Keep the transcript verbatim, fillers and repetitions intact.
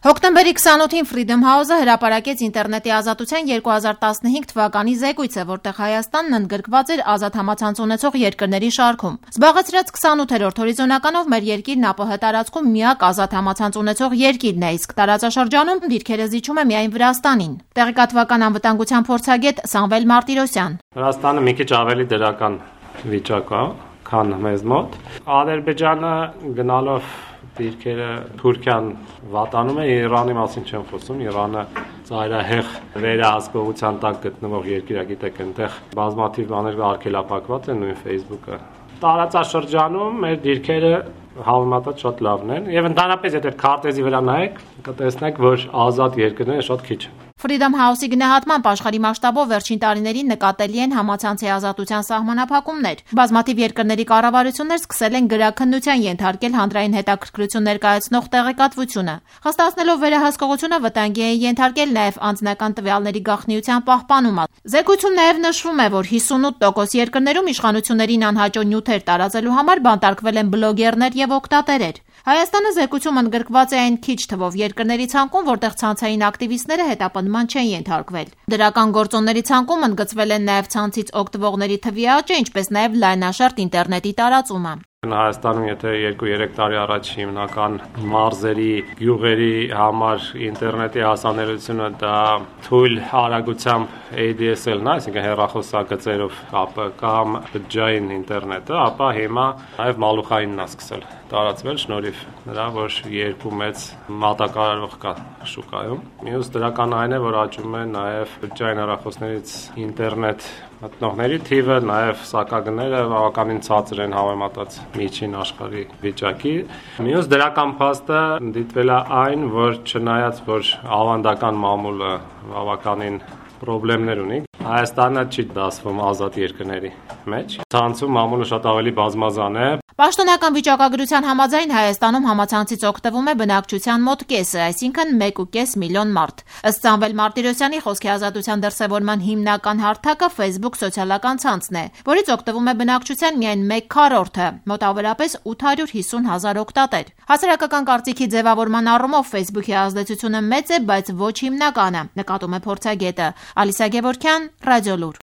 Հոկտեմբերի քսանութին Freedom House-ը հրապարակեց ինտերնետի ազատության երկու հազար տասնհինգ թվականի զեկույցը, որտեղ Հայաստանն ընդգրկված էր ազատ համացանց ունեցող երկրների շարքում։ Զբաղեցրած քսանութերորդ հորիզոնականով մեր երկիրն ԱՊՀ տարածքում միակ ազատ համացանց ունեցող երկիրն է, իսկ տարածաշրջանում դիրքերը զիջում է միայն Վրաստանին։ Տեղեկատվական անվտանգության փորձագետ Սամվել Մարտիրոսյան. Վրաստանը մի քիչ ավելի դրական վիճակա, քան մեզ մոտ։ Ադրբեջանը գնալով դիրքերը Թուրքիան վատանում է, Իրանի մասին չեմ խոսում, Իրանը ծայրահեղ վերահսկողության տակ գտնվող երկիր է, գիտեք, այնտեղ բազմաթիվ բաներ արգելափակված են, նույն Facebook-ը։ Տարածաշրջանում մեր դիրքերը համեմատած շատ լավն են, եւ ընդհանրապես եթե քարտեզի վրա նայեք, կտեսնեք, որ ազատ երկրները շատ քիչ են։ Freedom House-ի գնահատմամբ աշխարհի մասշտաբով վերջին տարիներին նկատելի են համացանցի ազատության սահմանափակումներ։ Բազմաթիվ երկրների կառավարություններ սկսել են գրաքննության ենթարկել հանրային հետաքրքրություն ներկայացնող տեղեկատվությունը։ Հստացնելով վերահսկողությունը վտանգի են ենթարկել նաև անձնական տվյալների գաղտնիության պահպանումը։ Զեկույցում նաև նշվում է, որ հիսունութ տոկոս երկրներում իշխանություններին անհաճո նյութեր տարածելու համար բանտարկվել են բլոգերներ եւ օգտատերեր։ Հայաստանը զեկույցում ընդգրկված է այն քիչ թվով երկրների ցանկում, որտեղ ցանցային ակտիվիստները հետապնդման չեն ենթարկվել։ Դրական գործոնների ցանկում ընդգծվել են նաև ցանցից օգտվողների թվի աճը, ինչպես նաև լայնաշերտ ինտերնետի տարածումը։ Հայաստանում եթե երկու-երեք տարի առաջ հիմնական մարզերի, գյուղերի համար ինտերնետի հասանելիությունը դա թույլ արագությամբ A D S L-ն է, այսինքն հեռախոսագծերով կապը կամ բջջային ինտերնետը, ապա հիմա նաև մալուխայինն է սկսել տարածվել շնորհիվ նրա, որ երկու մեծ մատակարարող կա շուկայում։ Մյուս դրական այն է, որ աճում է նաև բջջային հեռախոսներից ինտերնետ մտնողների թիվը, նաև սակագները բավականին ցածր են համեմատած միջին աշխարհի վիճակի։ Մյուս դրական փաստը դիտվել է այն, որ չնայած որ ավանդական մամուլը բավականին խնդիրներ ունի, Հայաստանը չի դասվում ազատ երկրների մեջ։ Ցանցում մամուլը շատ ավելի բազմազան է։ Պաշտոնական վիճակագրության համաձայն Հայաստանում համացանցից օգտվում է բնակչության մոտ կեսը, այսինքն մեկ ու կես միլիոն մարդ։ Ըստ Սամվել Մարտիրոսյանի, խոսքի ազատության դրսևորման հիմնական հարթակը Facebook սոցիալական ցանցն է, որից օգտվում է բնակչության միայն մեկ քառորդը, մոտավորապես ութ հարյուր հիսուն հազար օգտատեր։ Հասարակական կարծիքի ձևավորման առումով Facebook-ի ազդեցությունը մեծ է, բայց ոչ հիմնականը, նկատում է փորձագետը։ Ալիսա Գևորգյան, Ռադիոլուր։